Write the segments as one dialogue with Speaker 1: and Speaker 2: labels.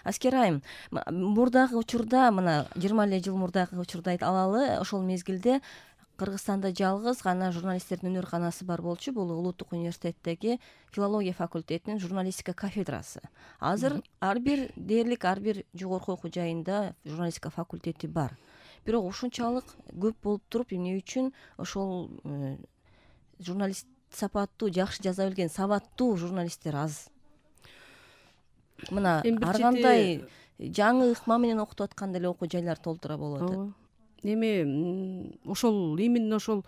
Speaker 1: Аскер айым, мурдагы учурда, мына 20 эле жыл мурдагы учурду алалы, ошол мезгилде Кыргызстанда жалгыз гана журналисттердин өнөрканасы бар болчу. Бул Улуттук университеттеги филология факультетинин журналистика кафедрасы. Азыр дээрлик ар бир жогорку окуу жайында журналистика факультети бар. Бирок ушунчалык көп болуп туруп, эмне үчүн ошол журналист сапаттуу, жакшы жаза билген, сабаттуу журналисттер аз? Мына ар кандай жаңы ыкма менен окутуп аткан деле окуу жайлар толтура болуп атат.
Speaker 2: Эми ошол именно ошол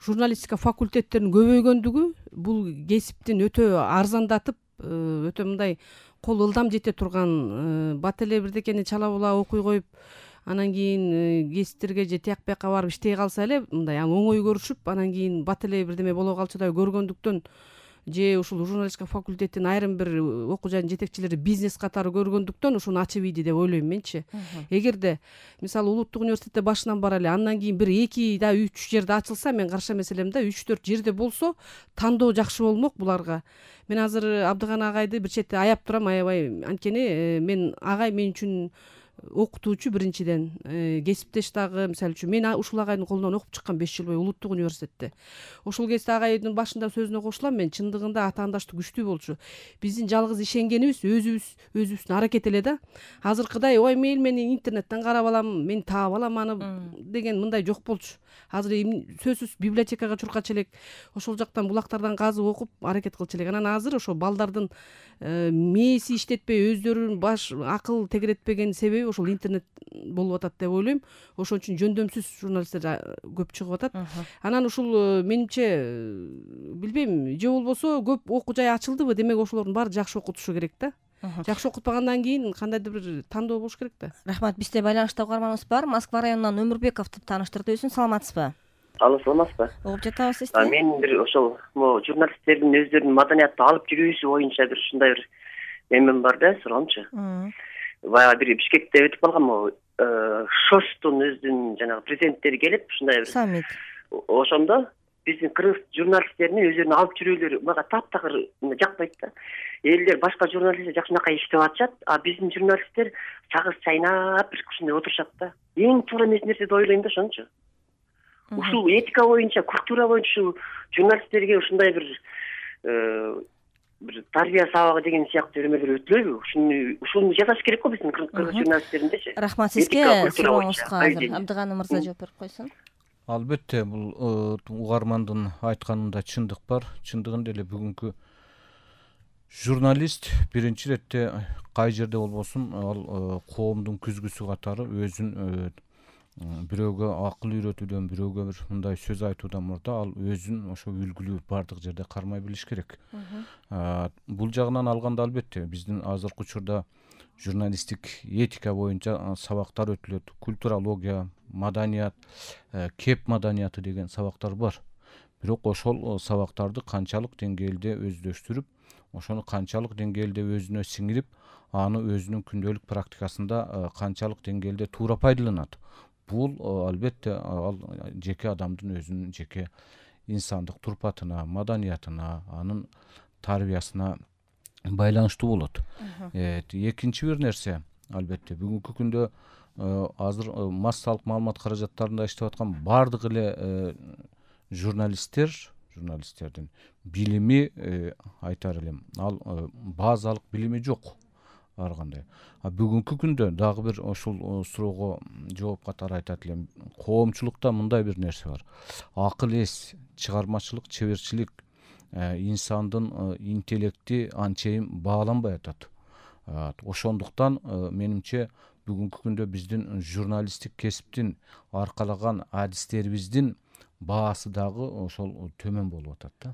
Speaker 2: журналистика факультеттеринин көбөйгөндүгү бул кесиптин өтө арзандатып, өтө мындай кол ылдам жете турган, бат эле бирдекени чала була окуй коюп, анан кийин кесиптерге же тияк бияка барып иштей калса эле мындай ал оңой көрүшүп, анан кийин бат эле бирдеме боло калчудай көргөндүктөн, же ушул журналистика факультетинин айрым бир окуу жайдын жетекчилери бизнес катары көргөндүктөн ошону ачып ийди деп ойлойм менчи. Эгерде мисалы Улуттук университетте башынан бара эле, андан кийин бир 2 да 3 жерде ачылса, мен каршы эмес элем да. 3-4 жерде болсо тандоо жакшы болмок буларга. Мен азыр Абдыган агайды бир четте аяп турам, аябай. Анткени мен агай мен үчүн окутуучу биринчиден, кесиптеш дагы. Мисалы үчүн мен ушул агайдын колунан окуп чыккан 5 жыл бою Улуттук университетте. Ошол кезде агайдын башында сөзүнө кошулам, мен чындыгында атаандаштык күчтүү болчу. Биздин жалгыз ишенгенибиз өзүбүздүн аракет эле да. Азыркыдай ой мейли мен интернеттен карап алам, мен таап алам аны деген мындай жок болчу. Азыр сөзсүз библиотекага чуркачу элек, ошол жактан булактардан казып окуп аракет кылчу элек. Анан азыр ошо балдардын мээси иштетпей, өздөрүнүн баш акыл тегеретпеген себеби ошол интернет болуп атат деп ойлойм. Ошон үчүн жөндөмсүз журналисттер көп чыгып атат. Анан ушул менимче билбейм, же болбосо көп окуу жай ачылдыбы, демек ошолордун баары жакшы окутушу керек да. Жакшы окутпагандан кийин кандайдыр бир тандоо болуш керек да.
Speaker 1: Рахмат. Бизде байланышта угарманыбыз бар. Москва районунан Өмүрбековду тааныштырдыбыз. Саламатсызбы?
Speaker 3: Алло, саламатсызбы?
Speaker 1: Угуп жатабыз сизди.
Speaker 3: Мен бир ошол журналисттердин өздөрүнүн маданиятты алып жүрүүсү боюнча бир ушундай бир эмем бар да, суроомчу. Баягы бир Бишкекте өтүп калган ШОСтун өзүнүн жанагы президенттери келип, ушундай бир
Speaker 1: саммит.
Speaker 3: Ошондо биздин кыргыз журналисттерин өздөрүнүн алып жүрүүлөрү мага таптакыр жакпайт да. Элдер башка журналисттер жакшынакай иштеп атышат, а биздин журналисттер чагыз чайнап бир ушундай отурушат да. Эң туура эмес нерсе деп ойлойм да, ошончу. Ушул этика боюнча, культура боюнча ушул журналисттерге ушундай бир тарбия сабагы деген сыяктуу эмелер өтүлөбү? Ушуну жасаш керек го биздин кыргыз журналисттериндечи.
Speaker 1: Рахмат сизге. Сурооңузга азыр Абдыган мырза жооп берип койсун.
Speaker 4: Албетте, бул угармандын айтканында чындык бар. Чындыгында эле бүгүнкү журналист биринчи иретте кай жерде болбосун, ал коомдун күзгүсү катары өзүн бирөөгө акыл үйрөтүүдөн, бирөөгө бир мындай сөз айтуудан мурда ал өзүн ошо үлгүлүү бардык жерде кармай билиш керек. Бул жагынан алганда албетте биздин азыркы учурда журналисттик этика боюнча сабактар өтүлөт. Культурология, маданият, кеп маданияты деген сабактар бар. Бирок ошол сабактарды канчалык деңгээлде өздөштүрүп, ошону канчалык деңгээлде өзүнө сиңирип, аны өзүнүн күндөлүк практикасында канчалык деңгээлде туура пайдаланат. Бул албетте ал жеке адамдын өзүнүн жеке инсандык турпатына, маданиятына, анын тарбиясына байланыштуу болот. Экинчи бир нерсе, албетте бүгүнкү күндө азыр массалык маалымат каражаттарында иштеп аткан бардык эле журналисттердин билими, айтар элем, ал базалык билими жок ар кандай. Бүгүнкү күндө дагы бир ошол суроого жооп катары айтат элем. Коомчулукта мындай бир нерсе бар. Акыл эс, чыгармачылык, чеберчилик, инсандын интеллекти анчейин бааланбай атат. Ошондуктан менимче бүгүнкү күндө биздин журналисттик кесиптин аркалаган адистерибиздин баасы дагы ошол төмөн болуп атат да.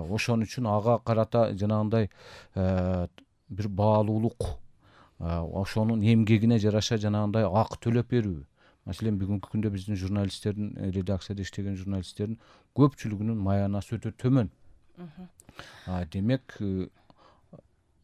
Speaker 4: Ошон үчүн ага карата жанагындай бир баалуулук, ошонун эмгегине жараша жанагындай акы төлөп берүү. Маселен, бүгүнкү күндө биздин журналисттердин, редакцияда иштеген журналисттердин көпчүлүгүнүн маянасы өтө төмөн. Демек,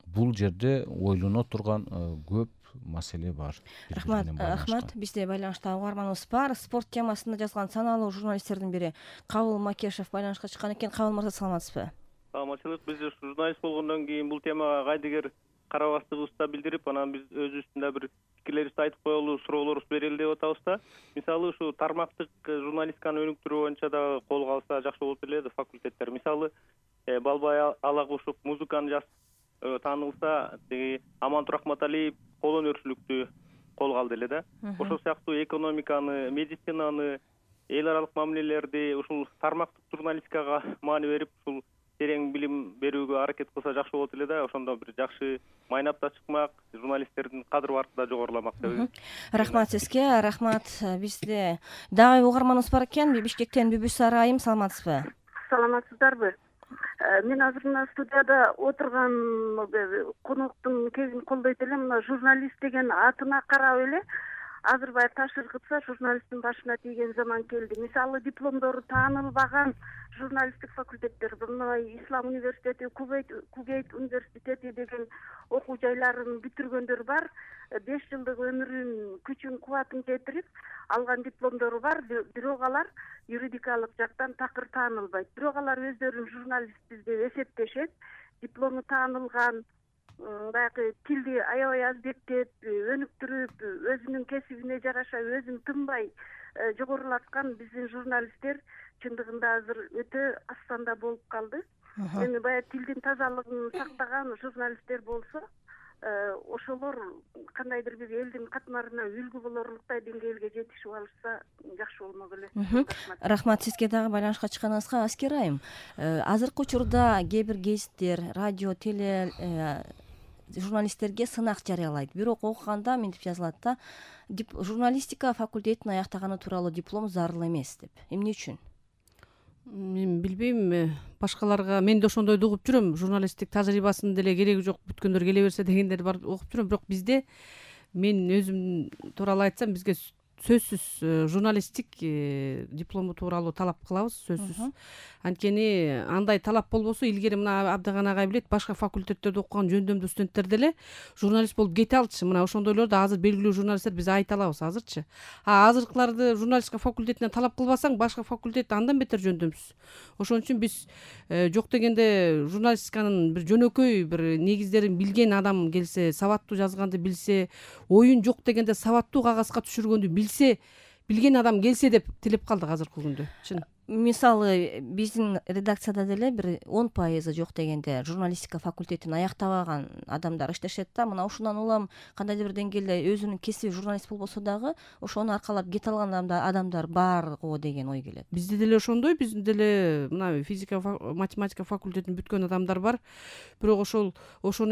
Speaker 4: бул жерде ойлоно турган көп маселе бар.
Speaker 1: Рахмат. Бизде байланышта угарманыбыз бар. Спорт темасында жазган саналуу журналисттердин бири Кабыл Макешев байланышка чыккан экен. Кабыл мырза, саламатсызбы?
Speaker 5: Саламатчылык. Биз журналист болгондон кийин бул темага кайдыгер карабастыгыбызды билдирип, анан биз өзүбүздүн да бир пикирлерибизди айтып коелу, суроолорубузду берели деп атабыз да. Мисалы ушу тармактык журналистиканы өнүктүрүү боюнча дагы колго алса жакшы болот эле факультеттер. Мисалы Балбай Алагушев музыканы жазып таанылса, тиги Амантур Ахматалиев кол өнөрчүлүктү колго алды эле да. Ошол сыяктуу экономиканы, медицинаны, эл аралык мамилелерди ушул тармактык журналистикага маани берип, ушул терең билим берүүгө аракет кылса жакшы болот эле да. Ошондо бир жакшы майнап да чыкмак, журналисттердин кадыр баркы да жогоруламак деп.
Speaker 1: Рахмат сизге, рахмат. Бизде дагы угарманыбыз бар экен. Бишкектен Бүбүсара айым, саламатсызбы?
Speaker 6: Саламатсыздарбы? Мен азыр мына студияда отурган коноктун кегин колдойт элем. Мына журналист деген атына карап эле азыр баягы таш ыргытса журналисттин башына тийген заман келди. Мисалы дипломдору таанылбаган журналисттик факультеттер, мына Ислам университети, Кугейт университети деген окуу жайларын бүтүргөндөр бар. 5 жылдык өмүрүн, күчүн, кубатын кетирип алган дипломдору бар, бирок алар юридикалык жактан такыр таанылбайт. Бирок алар өздөрүн журналистпиз деп эсептешет. Диплому таанылган, баягы тилди аябай азбектеп, өнүктүрүп, өзүнүн кесибине жараша өзүн тынбай жогорулаткан биздин журналисттер чындыгында азыр өтө астанда болуп калды. Эми баягы тилдин тазалыгын сактаган журналисттер болсо, ошолор кандайдыр бир элдин катмарына үлгү болорлуктай деңгээлге жетишип алышса жакшы болмок эле.
Speaker 1: Рахмат сизге дагы байланышка чыкканыңызга. Аскер айым, азыркы учурда кээ бир гезиттер, радио, теле журналисттерге сынак жарыялайт. Бирок окуганда мынтип жазылат да, журналистика факультетин аяктаганы тууралуу диплом зарыл эмес деп. Эмне үчүн?
Speaker 2: Мен билбейм, башкаларга мен да ошондойду угуп жүрөм. Журналисттик тажрыйбасынын деле кереги жок, бүткөндөр келе берсе дегендерди бар окуп жүрөм. Бирок бизде, мен өзүм тууралуу айтсам, бизге сөзсүз журналисттик диплому тууралуу талап кылабыз, сөзсүз. Анткени андай талап болбосо, илгери мына Абдыган агай билет, башка факультеттерде окуган жөндөмдүү студенттер деле журналист болуп кете алчу. Мына ошондойлорду азыр белгилүү журналисттер биз айта алабыз азырчы. Азыркыларды журналистика факультетине талап кылбасаң, башка факультет андан бетер жөндөмсүз. Ошон үчүн биз жок дегенде журналистиканын бир жөнөкөй бир негиздерин билген адам келсе, сабаттуу жазганды билсе, оюн жок дегенде сабаттуу кагазга түшүргөндү билген адам келсе деп тилеп калдык азыркы күндө. Чын.
Speaker 1: Мисалы биздин редакцияда деле бир 10% жок дегенде журналистика факультетин аяктабаган адамдар иштешет да. Мына ушундан улам кандайдыр бир деңгээлде өзүнүн кесиби журналист болбосо дагы ошону аркалап кете алган адамдар бар го деген ой келет.
Speaker 2: Бизде деле ошондой, биздин деле мына физика, математика факультетин бүткөн адамдар бар. Бирок ошону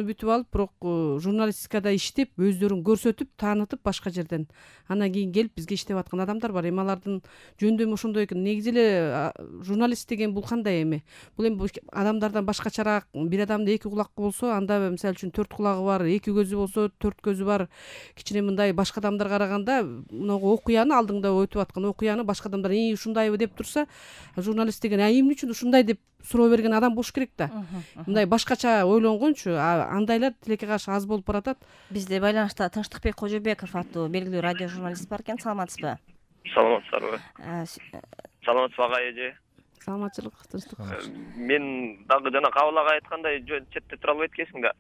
Speaker 2: бүтүп алып, бирок журналистикада иштеп, өздөрүн көрсөтүп, таанытып башка жерден анан кийин келип бизге иштеп аткан адамдар бар. Эми алардын жөндөмү ошондой экен. Негизи эле журналист деген бул кандай эми? Бул эми адамдардан башкачараак. Бир адамда 2 кулак болсо, анда мисалы үчүн 4 кулагы бар, 2 көзү болсо 4 көзү бар. Кичине мындай башка адамдарга караганда мынагу окуяны алдыңда өтүп аткан окуяны башка адамдар ушундайбы деп турса, журналист деген эмне үчүн ушундай деп суроо берген адам болуш керек да. Мындай башкача ойлонгончу, андайлар тилекке каршы аз болуп баратат.
Speaker 1: Бизде байланышта Тынчтыкбек Кожобеков аттуу белгилүү радио журналист бар экен. Саламатсызбы?
Speaker 7: Саламатсыздарбы? Саламатсызбы агай эже?
Speaker 2: Саламатчылык, тынчтык.
Speaker 7: Мен дагы жана Кабыл агай айткандай четте тура алып эткенсиң да.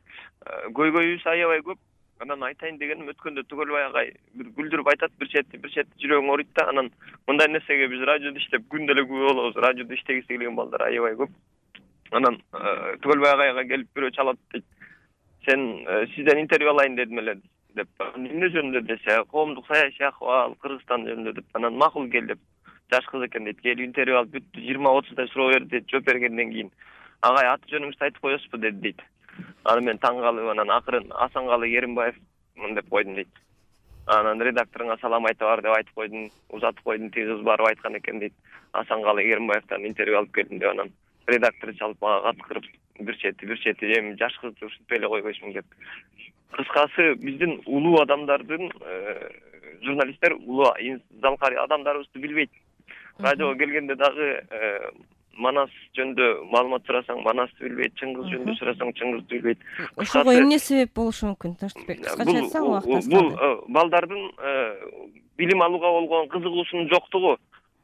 Speaker 7: Көйгөйүбүз аябай көп. Анан айтайын дегеним, өткөндө Түгөлбай агай бир күлдүрүп айтат, бир четти жүрөгүң ооруйт да. Анан мындай нерсеге биз радиодо иштеп күндө эле күбө болобуз. Радиодо иштегиси келген балдар аябай көп. Анан Түгөлбай агайга келип бирөө чалат дейт. Сен сизден интервью алайын дедим эле деп. Эмне жөнүндө десе, коомдук саясий акыбал, Кыргызстан жөнүндө деп. Анан макул кел деп. Жаш кыз экен дейт. Келип интервью алып бүттү, 20-30 суроо берди дейт. Жооп бергенден кийин агай аты жөнүңүздү айтып коесузбу деди дейт. Аны мен таң калып, анан акырын Асангалы Керимбаев деп койдум дейт. Анан редакторуңа салам айта бар деп айтып койдум, узатып койдум, тиги кыз барып айткан экен дейт. Асангалы Керимбаевтан интервью алып келдим деп. Анан редактор чалып мага каткырып, бир чети эми жаш кызды ушинтпей эле койбойсуң деп. Кыскасы, биздин улуу адамдардын журналисттер улуу залкар адамдарыбызды билбейт. Радиого келгенде дагы Манас жөнүндө маалымат сурасаң, Манасты билбейт, Чыңгыз жөнүндө сурасаң, Чыңгызды билбейт.
Speaker 1: Ошого эмне себеп болушу мүмкүн? Тынчтыкбек, кыскача айтсаң убакыт.
Speaker 7: Бул балдардын билим алууга болгон кызыгуусунун жоктугу.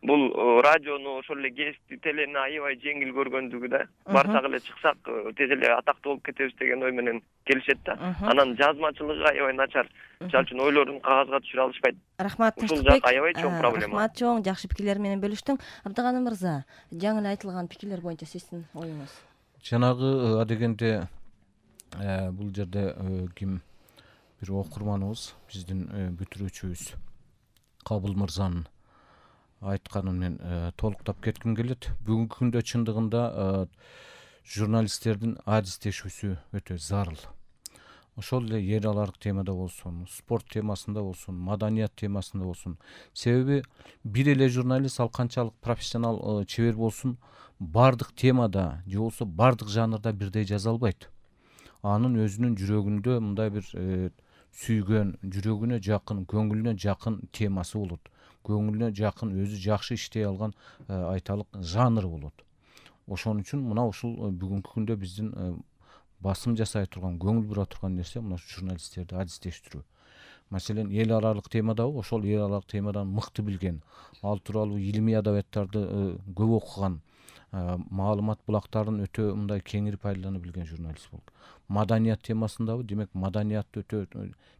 Speaker 7: бул радиону ошол эле гезитти телени аябай жеңил көргөндүгү да барсак эле чыксак тез эле атактуу болуп кетебиз деген ой менен келишет да. Анан жазмачылыгы аябай начар. Мисалы үчүн ойлорун кагазга түшүрө алышпайт.
Speaker 1: Рахмат
Speaker 7: Ушул
Speaker 1: Таштыкбек.
Speaker 7: жак аябай чоң проблема.
Speaker 1: Рахмат чоң, жакшы пикирлер менен бөлүштүң. Абдыганы мырза, жаңы эле айтылган пикирлер боюнча сиздин оюңуз?
Speaker 4: Жанагы адегенде бул жерде ким бир окурманыбыз, биздин бүтүрүүчүбүз Кабыл мырзанын айтканын мен толуктап кетким келет. Бүгүнкү күндө чындыгында журналисттердин адистешүүсү өтө зарыл. Ошол эле эл аралык темада болсун, спорт темасында болсун, маданият темасында болсун. Себеби бир эле журналист ал канчалык профессионал чебер болсун, бардык темада же болбосо бардык жанрда бирдей жаза албайт. Анын өзүнүн жүрөгүндө мындай бир сүйгөн, жүрөгүнө жакын, көңүлүнө жакын темасы болот. Көңүлүнө жакын, өзү жакшы иштей алган айталык жанры болот. Ошон үчүн мына ушул бүгүнкү күндө биздин басым жасай турган, көңүл бура турган нерсе мына журналисттерди адистештирүү. Маселен, эл аралык темадабы, ошол эл аралык темадан мыкты билген, ал тууралуу илимий адабияттарды көп окуган, маалымат булактарын өтө мындай кеңири пайдалана билген журналист болот. Маданият темасындабы, демек маданиятты өтө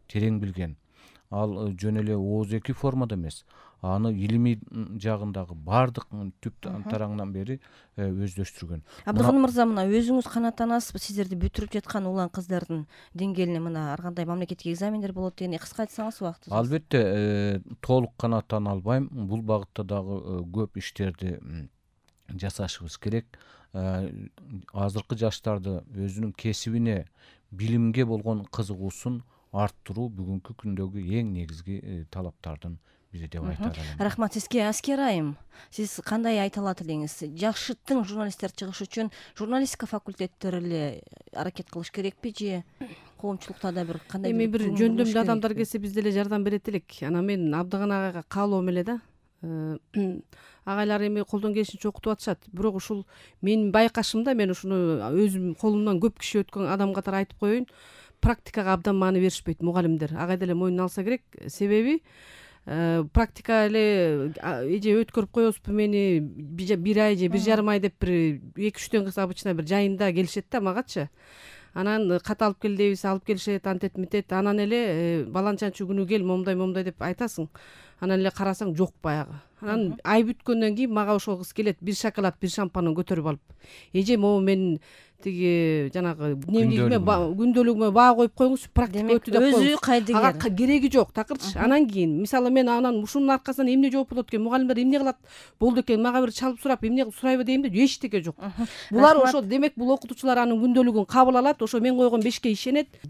Speaker 4: терең билген. Ал жөн эле ооз-эки формада эмес, аны илимий жагындагы бардык түп тараңынан бери өздөштүргөн.
Speaker 1: Абдыганы мырза, мына өзүңүз канааттанасызбы, сиздерди бүтүрүп жаткан улан кыздардын деңгээлине мына ар кандай мамлекеттик экзамендер болот дегенди кыска айтсаңыз убактыңыз?
Speaker 4: Албетте, толук канааттана албайм. Бул багытта дагы көп иштерди жасашыбыз керек. Азыркы жаштарды өзүнүн кесибине, билимге болгон кызыгуусун арттыруу бүгүнкү күндөгү эң негизги талаптардын бири деп айта алам.
Speaker 1: Рахмат сизге. Аскер айым, сиз кандай айта алат элеңиз? Жакшы тың журналисттер чыгыш үчүн журналистика факультеттери эле аракет кылыш керекпи же коомчулукта да бир кандай
Speaker 2: бир жөндөмдүү адамдар келсе биз деле жардам берет элек. Анан мен Абдыган агайга каалоом эле да. Агайлар эми колдон келишинче окутуп атышат. Бирок ушул менин байкашымда, мен ушуну өзүм колумдан көп киши өткөн адам катары айтып коеюн, практикага абдан маани беришпейт мугалимдер. Агай деле мойнуна алса керек. Себеби практика эле эже өткөрүп коесузбу мени бир ай же 1,5 ай деп бир 2-3 кыз обычно бир жайында келишет да магачы. Анан кат алып кел дейбиз, алып келишет, антет митет. Анан эле баланчанчы күнү кел, момундай деп айтасың. Анан эле карасаң жок баягы. Анан ай бүткөндөн кийин мага ошол кыз келет, бир шоколад, бир шампанын көтөрүп алып. Эже, могу мен тиги жанагы күндөлүгүмө баа коюп коюңузчу, практика өтү деп
Speaker 1: өзү кайдыгер.
Speaker 2: Ага кереги жок, такырчы. Анан кийин мисалы мен анан ушунун аркасынан эмне жооп болот экен, мугалимдер эмне кылат болду экен, мага бир чалып сурап эмне сурайбы дейм да, эчтеке жок. Булар ошо демек бул окутуучулар анын күндөлүгүн кабыл алат, ошо мен койгон 5ке ишенет.